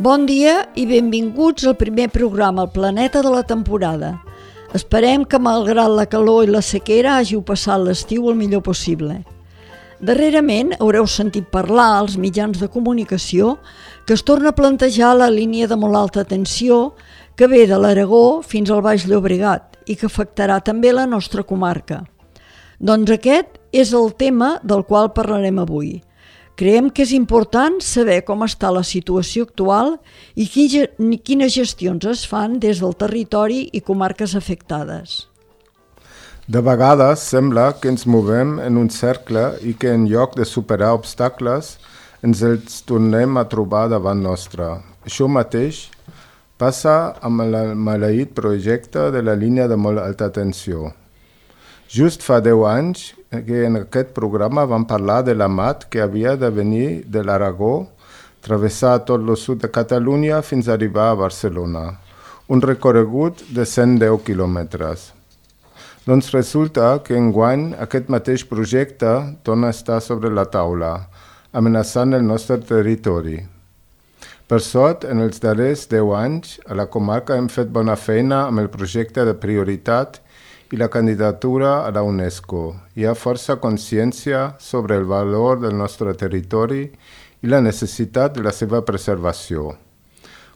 Bon dia i benvinguts al primer programa, El Planeta de la temporada. Esperem que, malgrat la calor i la sequera, hàgiu passat l'estiu el millor possible. Darrerament haureu sentit parlar als mitjans de comunicació que es torna a plantejar la línia de molt alta tensió que ve de l'Aragó fins al Baix Llobregat i que afectarà també la nostra comarca. Doncs aquest és el tema del qual parlarem avui. Creiem que és important saber com està la situació actual i quines gestions es fan des del territori i comarques afectades. De vegades sembla que ens movem en un cercle i que en lloc de superar obstacles ens els tornem a trobar davant nostre. Això mateix passa amb el maleït projecte de la línia de molt alta tensió. Just fa 10 anys que en aquest programa vam parlar de la mat que havia de venir de l'Aragó, travessar tot el sud de Catalunya fins a arribar a Barcelona, un recorregut de 110 quilòmetres. Doncs resulta que enguany aquest mateix projecte torna a estar sobre la taula, amenaçant el nostre territori. Per sort, en els darrers 10 anys, a la comarca hem fet bona feina amb el projecte de prioritat i la candidatura a la UNESCO. Hi ha força consciència sobre el valor del nostre territori i la necessitat de la seva preservació,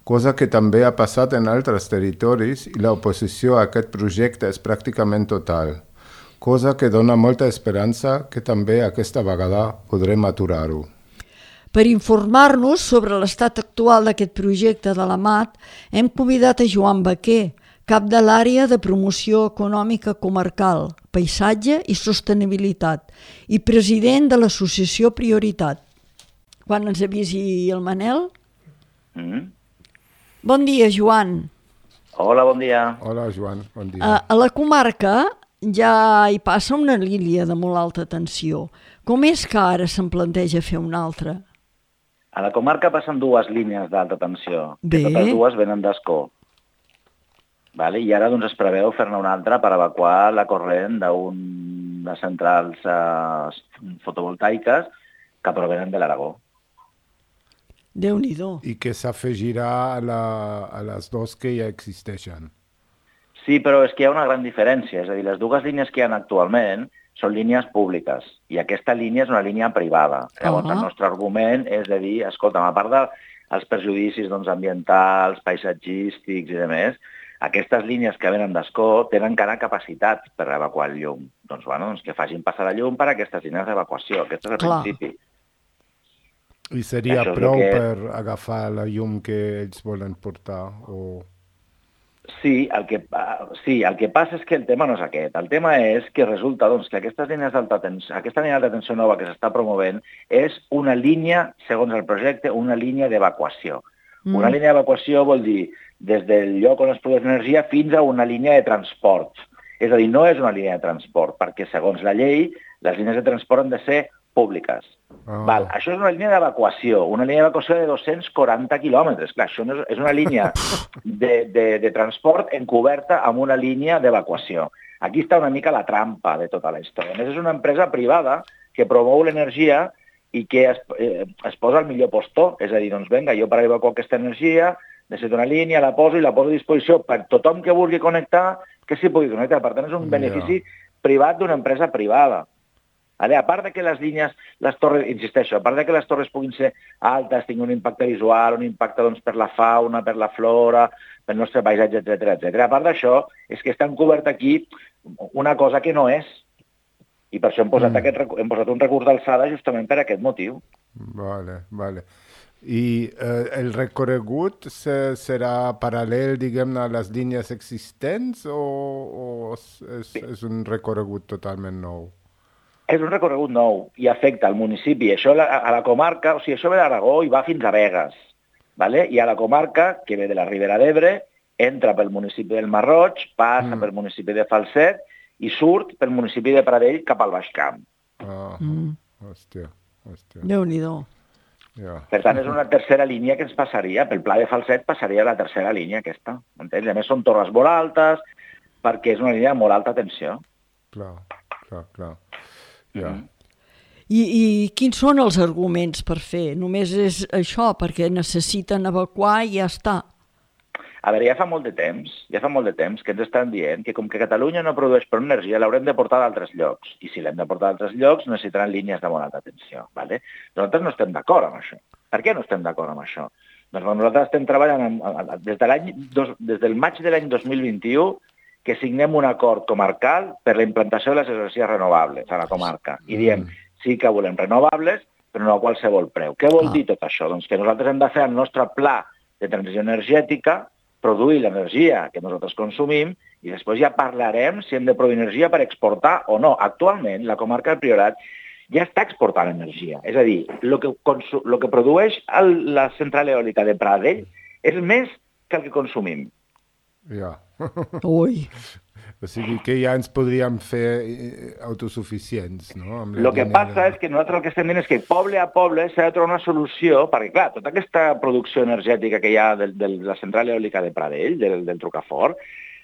cosa que també ha passat en altres territoris i l'oposició a aquest projecte és pràcticament total, cosa que dona molta esperança que també aquesta vegada podrem aturar-ho. Per informar-nos sobre l'estat actual d'aquest projecte de la MAT, hem convidat a Joan Baquer, cap de l'àrea de promoció econòmica comarcal, paisatge i sostenibilitat i president de l'associació Prioritat. Quan ens avisi el Manel? Bon dia, Joan. Hola, bon dia. Hola, Joan, bon dia. A la comarca ja hi passa una línia de molt alta tensió. Com és que ara se'n planteja fer una altra? A la comarca passen 2 línies d'alta tensió. Bé. Que totes 2 venen d'Ascó. Vale? I ara doncs, es preveu fer-ne una altra per evacuar la corrent de centrals fotovoltaiques que provenen de l'Aragó. Déu-n'hi-do. I que s'afegirà a les 2 que ja existeixen. Sí, però és que hi ha una gran diferència. És a dir, les 2 línies que hi ha actualment són línies públiques i aquesta línia és una línia privada. Llavors, el nostre argument és de dir, escolta, a part dels perjudicis ambientals, paisatgístics i demés, aquestes línies que venen d'Ascó tenen encara capacitat per evacuar el llum. Doncs, que facin passar la llum per a aquestes línies d'evacuació. Aquest és el principi. I seria prou per agafar la llum que ells volen portar? Sí, el que passa és que el tema no és aquest. El tema és que resulta que aquesta línia d'alta tensió nova que s'està promovent és una línia, segons el projecte, una línia d'evacuació. Una línia d'evacuació vol dir des del lloc on es produeix energia fins a una línia de transport. És a dir, no és una línia de transport, perquè segons la llei, les línies de transport han de ser públiques. Això és una línia d'evacuació, una línia d'evacuació de 240 quilòmetres. Clar, això és una línia de transport encoberta amb una línia d'evacuació. Aquí està una mica la trampa de tota la història. A més, és una empresa privada que promou l'energia i que es posa al millor postor. És a dir, doncs vinga, jo per evacuar aquesta energia necessito una línia, la poso a disposició per tothom que vulgui connectar, que s'hi pugui connectar. Per tant, és un benefici privat d'una empresa privada. A part que les línies, les torres, insisteixo, a part que les torres puguin ser altes, tinguin un impacte visual, un impacte per la fauna, per la flora, pel nostre paisatge, etc. A part d'això, és que està encobert aquí una cosa que no és. I per això hem posat un recurs d'alçada justament per aquest motiu. Vale. I el recorregut serà paral·lel, diguem-ne, a les línies existents o és un recorregut totalment nou? És un recorregut nou i afecta al municipi. Això a la comarca, o sigui, això ve d'Aragó i va fins a Begues. I a la comarca, que ve de la Ribera d'Ebre, entra pel municipi del Masroig, passa pel municipi de Falset i surt pel municipi de Pradell cap al Baix Camp. Hòstia. Déu-n'hi-do. Per tant, és una tercera línia que ens passaria. Pel Pla de Falset passaria la tercera línia aquesta. Entens? A més, són torres molt altes perquè és una línia de molt alta tensió. Clar. I quins són els arguments per fer? Només és això, perquè necessiten evacuar i ja està. A veure, ja fa molt de temps que ens estan dient que com que Catalunya no produeix prou energia, l'haurem de portar d'altres llocs. I si l'hem de portar d'altres llocs, necessitaran línies de molt alta tensió. ¿Vale? Nosaltres no estem d'acord amb això. Per què no estem d'acord amb això? Doncs nosaltres estem treballant des del maig de l'any 2021 que signem un acord comarcal per la implantació de les energies renovables a la comarca. I diem, sí que volem renovables, però no a qualsevol preu. Què vol dir tot això? Doncs que nosaltres hem de fer el nostre pla de transició energètica, produir l'energia que nosaltres consumim i després ja parlarem si hem de produir energia per exportar o no. Actualment, la comarca del Priorat ja està exportant energia. És a dir, el que produeix la central eòlica de Pradell és més que el que consumim. Ja. Ui. O sigui que ja ens podríem fer autosuficients, no? El que passa és que nosaltres el que estem dient és que poble a poble s'ha de trobar una solució, perquè clar, tota aquesta producció energètica que hi ha de la central eòlica de Pradell, del Trucafort,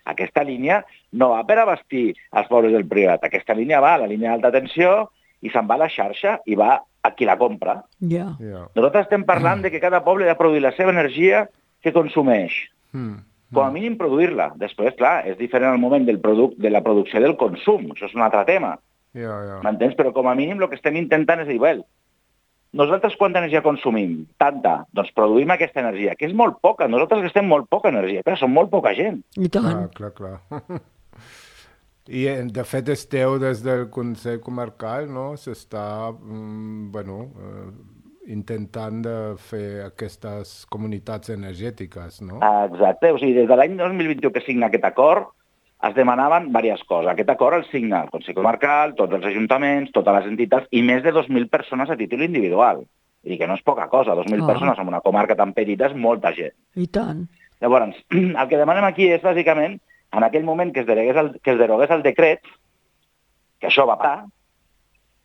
aquesta línia no va per abastir els pobles del Priorat. Aquesta línia va a la línia d'alta tensió i se'n va a la xarxa i va a qui la compra. Yeah. Nosaltres estem parlant de que cada poble ha de produir la seva energia que consumeix. Com a mínim produir-la. Després, clar, és diferent al moment de la producció del consum. Això és un altre tema. M'entens? Però com a mínim el que estem intentant és dir, well, nosaltres quanta energia consumim? Tanta. Doncs produïm aquesta energia, que és molt poca. Nosaltres gastem molt poca energia, però som molt poca gent. I tant. Clar. I de fet esteu des del Consell Comarcal, no? S'està, intentant de fer aquestes comunitats energètiques, no? Exacte. O sigui, des de l'any 2021 que signa aquest acord, es demanaven diverses coses. Aquest acord el signa el Consell Comarcal, tots els ajuntaments, totes les entitats i més de 2.000 persones a títol individual. Vull dir que no és poca cosa. 2.000 persones en una comarca tan petita és molta gent. I tant. Llavors, el que demanem aquí és, bàsicament, en aquell moment que es derogués el decret, que això va passar,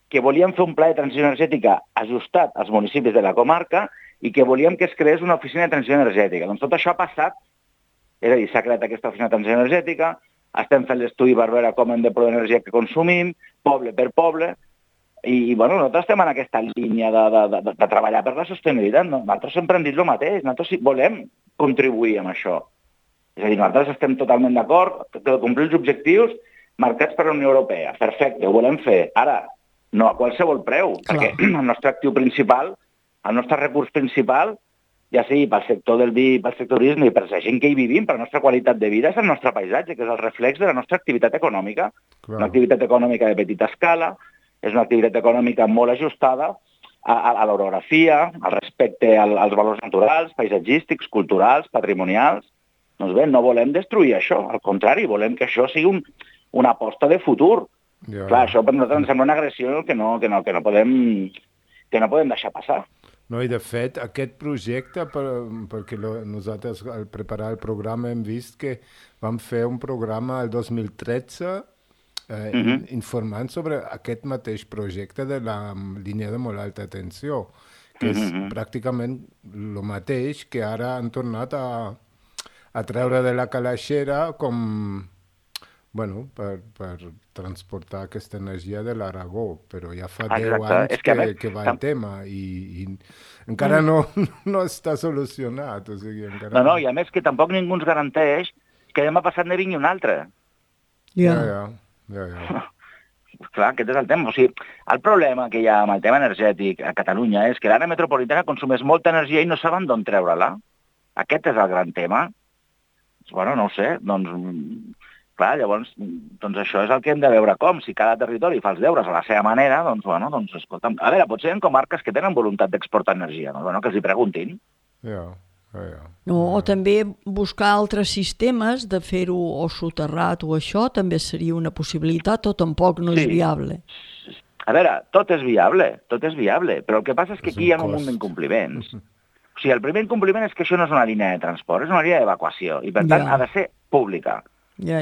que volíem fer un pla de transició energètica ajustat als municipis de la comarca i que volíem que es creés una oficina de transició energètica. Doncs tot això ha passat, és a dir, s'ha creat aquesta oficina de transició energètica, estem fent l'estudi per veure com hem de produir energia que consumim, poble per poble, i nosaltres estem en aquesta línia de treballar per la sostenibilitat. No? Nosaltres sempre hem dit el mateix, nosaltres volem contribuir amb això. És a dir, nosaltres estem totalment d'acord de complir els objectius marcats per la Unió Europea. Perfecte, ho volem fer. Ara, no a qualsevol preu, perquè el nostre actiu principal, el nostre recurs principal, ja sigui pel sector del vi, pel sector turisme i per la gent que hi vivim, per la nostra qualitat de vida, és el nostre paisatge, que és el reflex de la nostra activitat econòmica. Una activitat econòmica de petita escala, és una activitat econòmica molt ajustada a l'orografia, al respecte als valors naturals, paisatgístics, culturals, patrimonials. Doncs bé, no volem destruir això, al contrari, volem que això sigui una aposta de futur. Clar, això per nosaltres ens sembla una agressió que no podem deixar passar. No, i de fet, aquest projecte, perquè nosaltres al preparar el programa hem vist que vam fer un programa el 2013 informant sobre aquest mateix projecte de la línia de molt alta tensió, que és pràcticament el mateix que ara han tornat a treure de la calaixera com... per transportar aquesta energia de l'Aragó, però ja fa 10 anys que va el tema i encara no està solucionat. O sigui, encara... No, i a més que tampoc ningú ens garanteix que demà passat ne vingui un altre. Ja. Clar, aquest és el tema. O sigui, el problema que hi ha amb el tema energètic a Catalunya és que l'àrea metropolitana consumeix molta energia i no saben d'on treure-la. Aquest és el gran tema. No ho sé, clar, llavors, això és el que hem de veure com. Si cada territori fa els deures a la seva manera, escolta'm, a veure, potser hi ha comarques que tenen voluntat d'exportar energia, que els hi preguntin. No, o també buscar altres sistemes de fer-ho o soterrat o això també seria una possibilitat o tampoc no és viable. A veure, tot és viable, però el que passa és que aquí hi ha un munt d'incompliments. O sigui, el primer incompliment és que això no és una línia de transport, és una línia d'evacuació i per tant ha de ser pública. Ja.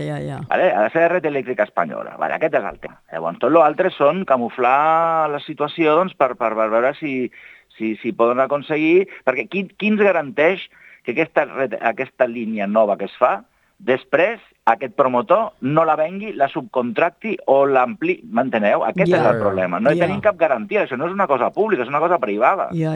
Vale? Ha de ser red elèctrica espanyola. Vale? Aquest és el tema. Llavors, tot l'altre són camuflar la situació per veure si poden aconseguir... Perquè qui ens garanteix que aquesta línia nova que es fa després aquest promotor no la vengui, la subcontracti o l'ampli. M'enteneu? Aquest és el problema. No tenim cap garantia. Això no és una cosa pública, és una cosa privada. Ja,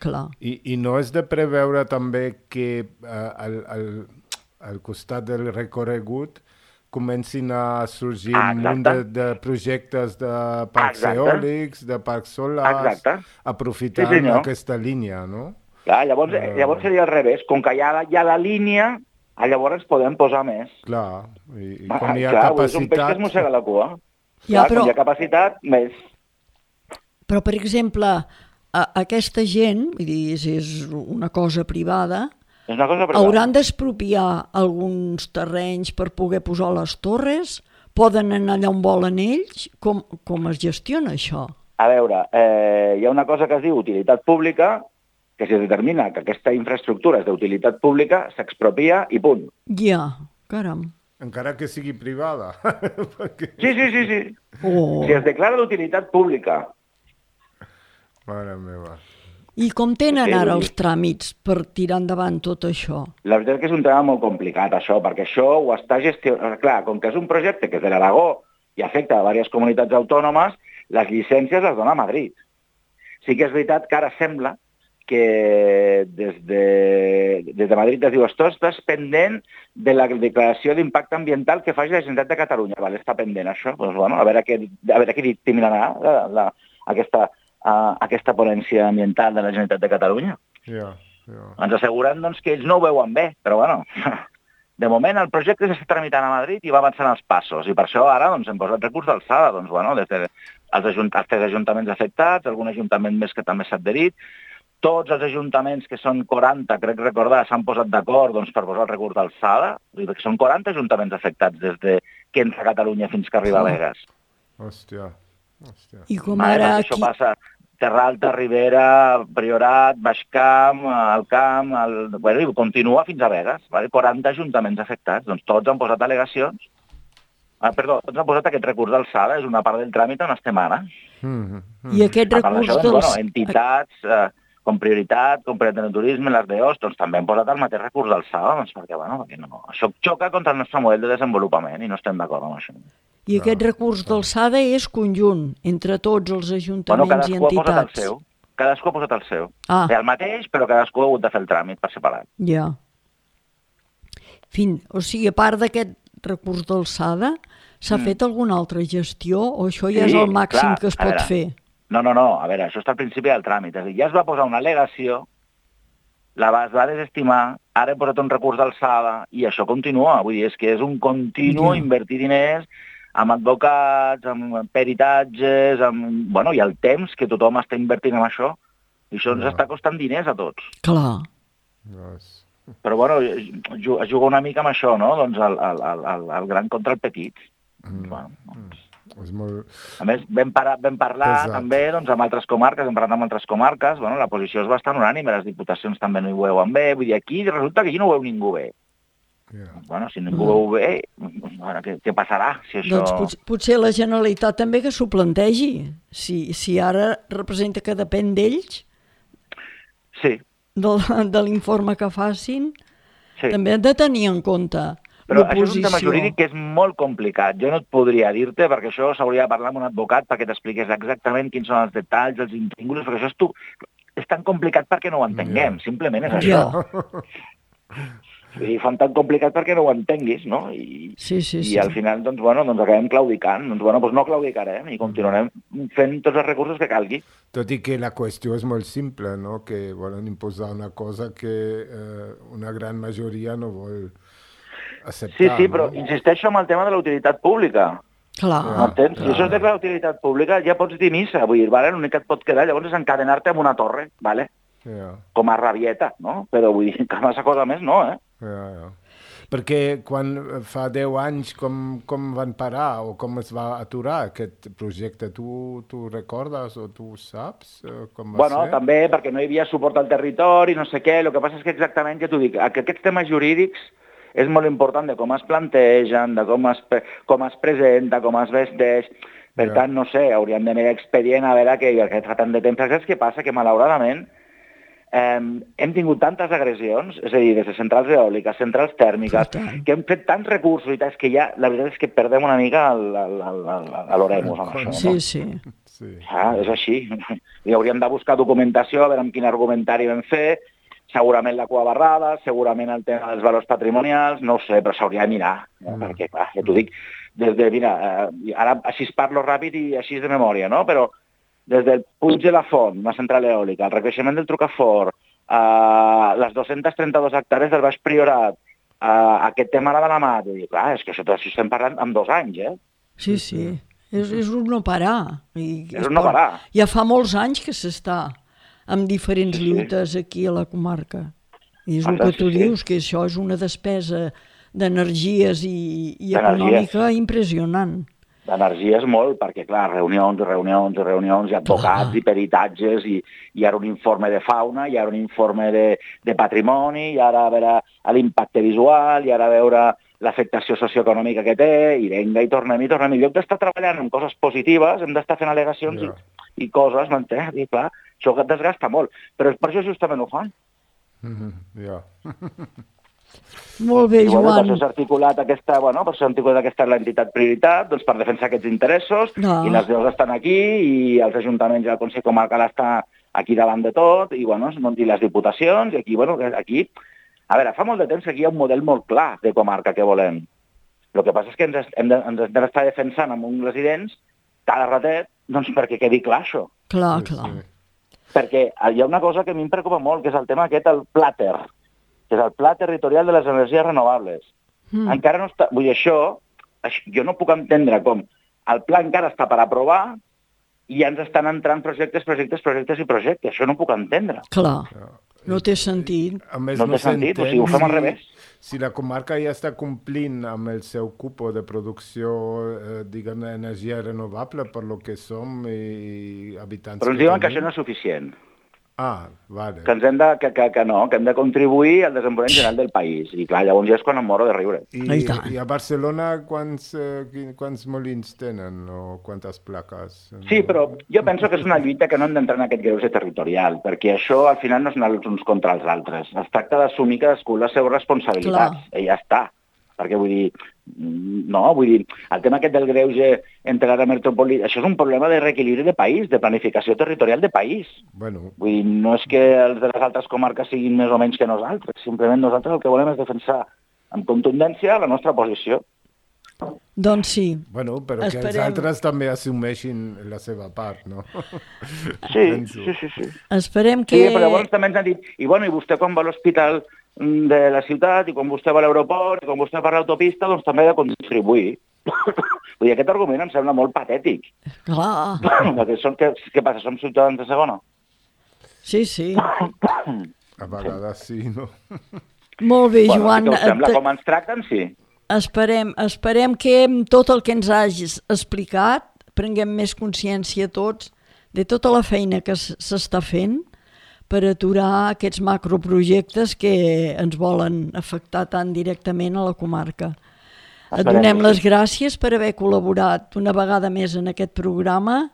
clar. I no és de preveure també que al costat del recorregut comencin a sorgir un munt de projectes de parcs eòlics, de parcs solars, aprofitant aquesta línia, no? Clar, llavors seria al revés. Com que hi ha la línia, llavors podem posar més. Clar, i quan hi ha capacitat... És un peix que es mossega la cua. Quan hi ha capacitat, més. Però, per exemple, aquesta gent, vull dir, és una cosa privada, hauran d'expropiar alguns terrenys per poder posar les torres? Poden anar allà on volen ells? Com es gestiona això? A veure, hi ha una cosa que es diu utilitat pública, que si es determina que aquesta infraestructura és d'utilitat pública, s'expropia i punt. Ja, caram. Encara que sigui privada. Sí. Si es declara d'utilitat pública. Mare meva. I com tenen ara els tràmits per tirar endavant tot això? La veritat és que és un tema molt complicat, això, perquè això ho està gestionant... Clar, com que és un projecte que és de l'Aragó i afecta a diverses comunitats autònomes, les llicències les dona a Madrid. Sí que és veritat que ara sembla que des de Madrid es diu esto estàs pendent de la declaració d'impacte ambiental que faci la Generalitat de Catalunya. Vale, està pendent això. Doncs, bueno, a veure què dictaminarà aquesta ponència ambiental de la Generalitat de Catalunya. Ens asseguren doncs, que ells no ho veuen bé, però bueno, de moment el projecte s'està tramitant a Madrid i va avançant els passos, i per això ara doncs, hem posat recurs d'alçada, doncs, bueno, des dels 3 ajuntaments afectats, algun ajuntament més que també s'ha adherit. Tots els ajuntaments, que són 40, crec recordar, s'han posat d'acord doncs, per posar el recurs d'alçada, perquè són 40 ajuntaments afectats des de que entra a Catalunya fins que arriba a Begues. Hòstia. I com ara aquí... Això passa Terra Alta, Ribera, Priorat, Baix Camp, el Camp, bueno, i continua fins a Begues. Vale? 40 ajuntaments afectats, doncs tots han posat al·legacions. Tots han posat aquest recurs d'alçada, és una part del tràmit on estem ara. I aquest recurs d'alçada... Entitats... com prioritat de turisme, les DOs, doncs també hem posat el mateix recurs d'alçada, doncs perquè no. Això xoca contra el nostre model de desenvolupament i no estem d'acord amb això. I aquest recurs d'alçada és conjunt entre tots els ajuntaments i entitats. Cadascú ha posat el seu. És el mateix, però cadascú ha hagut de fer el tràmit per separat. Ja. O sigui, a part d'aquest recurs d'alçada, s'ha fet alguna altra gestió o això ja és el màxim que es pot fer? No, a veure, això està al principi del tràmit. És a dir, ja es va posar una al·legació, es va desestimar, ara hem posat un recurs d'alçada i això continua. Vull dir, és que és un continu invertir diners amb advocats, amb peritatges, i el temps que tothom està invertint en això. I això ens està costant diners a tots. Clar. Però, es juga una mica amb això, no? Doncs el gran contra el petit. A més, vam parlar també amb altres comarques, la posició és bastant unànime, les diputacions també no hi ho veuen bé, vull dir, aquí resulta que aquí no ho veu ningú bé. Si ningú ho veu bé, què passarà? Doncs potser la Generalitat també que s'ho plantegi, si ara representa que depèn d'ells, de l'informe que facin, també han de tenir en compte. Però això és un tema jurídic que és molt complicat. Jo no et podria dir-te, perquè això s'hauria de parlar amb un advocat perquè t'expliqués exactament quins són els detalls, els intríngulis, perquè això és tan complicat perquè no ho entenguem, simplement és això. I fan tan complicat perquè no ho entenguis, no? I al final, doncs acabem claudicant. Doncs no claudicarem i continuarem fent tots els recursos que calgui. Tot i que la qüestió és molt simple, no? Que volen imposar una cosa que una gran majoria no vol acceptar. Sí, però insisteixo en el tema de la utilitat pública. Clar. M'entens? Si això és de la utilitat pública, ja pots dir missa, vull dir, l'únic que et pot quedar llavors és encadenar-te amb una torre, com a rabieta, no? Però vull dir, que massa cosa més no, Perquè quan fa 10 anys com van parar o com es va aturar aquest projecte, tu recordes o tu saps com va ser? També perquè no hi havia suport al territori, no sé què, el que passa és que exactament, ja t'ho dic, que aquests temes jurídics és molt important de com es plantegen, de com es presenta, com es vesteix. Per tant, no sé, hauríem de mirar expedient a veure què fa tant de temps. Saps què passa? Que malauradament hem tingut tantes agressions, és a dir, des de centrals eòliques, centrals tèrmiques, que hem fet tants recursos i tants que ja, la veritat és que perdem una mica l'oremus amb això. Sí, no? sí. És així. I hauríem de buscar documentació, a veure amb quin argumentari vam fer, segurament la cua barrada, segurament el tema dels valors patrimonials, no ho sé, però s'hauria de mirar, perquè, clar, ja t'ho dic, mira, ara així parlo ràpid i així de memòria, no? Però des del Puig de la Font, una central eòlica, el recreixement del Trucafort, les 232 hectàrees del Baix Priorat, aquest tema de la mà, i clar, és que això estem parlant en 2 anys, eh? Sí, és un no parar. És un no parar. Ja fa molts anys que s'està amb diferents lluites aquí a la comarca. I és el que tu dius, que això és una despesa d'energies i econòmica impressionant. D'energies molt, perquè, clar, reunions, i advocats i peritatges, i ara un informe de fauna, i ara un informe de patrimoni, i ara a veure l'impacte visual, i ara a veure l'afectació socioeconòmica que té, i venga, i tornem. En lloc d'estar treballant en coses positives, hem d'estar fent al·legacions i coses, m'entens? I clar, això desgasta molt. Però per això justament ho fan. Molt bé, Joan. Per això s'ha articulat aquesta l'entitat Prioritat, doncs per defensar aquests interessos, i les veus estan aquí, i els ajuntaments i el Consell Comarcal està aquí davant de tot, i les diputacions, i aquí, a veure, fa molt de temps que aquí hi ha un model molt clar de comarca que volem. El que passa és que ens hem d'estar defensant amb uns residents cada ratet, doncs perquè quedi clar això. Clar. Perquè hi ha una cosa que a mi em preocupa molt, que és el tema aquest, el PLATER, que és el Pla Territorial de les Energies Renovables. Encara no està... Vull dir, això, jo no puc entendre com el pla encara està per aprovar i ja ens estan entrant projectes. Això no puc entendre. Clar, no té sentit. A més, no té sentit, o sigui, ho fem al revés. Si la comarca ja està complint amb el seu cupo de producció, diguem, d'energia renovable per lo que som i habitants... Però ens diuen que això no és suficient. Vale. Que hem de contribuir al desenvolupament general del país. I clar, llavors ja és quan em moro de riure. I a Barcelona quants molins tenen o quantes plaques? Sí, però jo penso que és una lluita que no hem d'entrar en aquest greuge territorial, perquè això al final no és anar els uns contra els altres. Es tracta d'assumir cadascú les seves responsabilitats. I ja està. Perquè vull dir, el tema aquest del greuge entre l'àrea metropolitana, això és un problema de reequilibri de país, de planificació territorial de país. Vull dir, no és que els de les altres comarques siguin més o menys que nosaltres, simplement nosaltres el que volem és defensar amb contundència la nostra posició. Doncs sí. Però que els altres també assumeixin la seva part, no? Sí. Esperem que... Sí, però llavors també ens han dit, i vostè quan va a l'hospital de la ciutat, i quan vostè va a l'aeroport, i quan vostè va a l'autopista, doncs també ha de contribuir. Vull dir, aquest argument em sembla molt patètic. Clar. Què passa, som ciutadans de segona? Sí. A vegades sí, no? Molt bé, Joan. Com ens tracten, sí. Esperem que amb tot el que ens hagis explicat prenguem més consciència tots de tota la feina que s'està fent per aturar aquests macroprojectes que ens volen afectar tan directament a la comarca. Et donem les gràcies per haver col·laborat una vegada més en aquest programa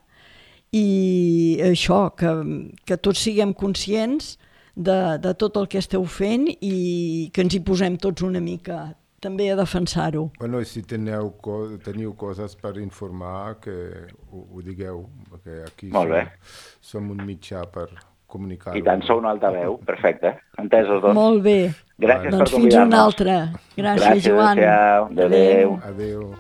i això, que tots siguem conscients de tot el que esteu fent i que ens hi posem tots una mica també a defensar-ho. I si teniu coses per informar, que ho digueu, perquè aquí som un mitjà per comunicar-ho. I tant, sou un altaveu, perfecte. Entesos, doncs. Molt bé. Gràcies per convidar-nos. Fins una altra. Gràcies, Joan. Adéu.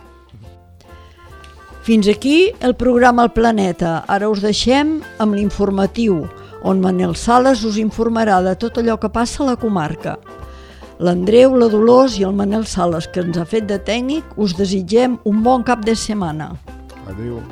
Fins aquí el programa El Planeta. Ara us deixem amb l'informatiu, on Manel Sales us informarà de tot allò que passa a la comarca. L'Andreu, la Dolors i el Manel Sales, que ens ha fet de tècnic, us desitgem un bon cap de setmana. Adéu.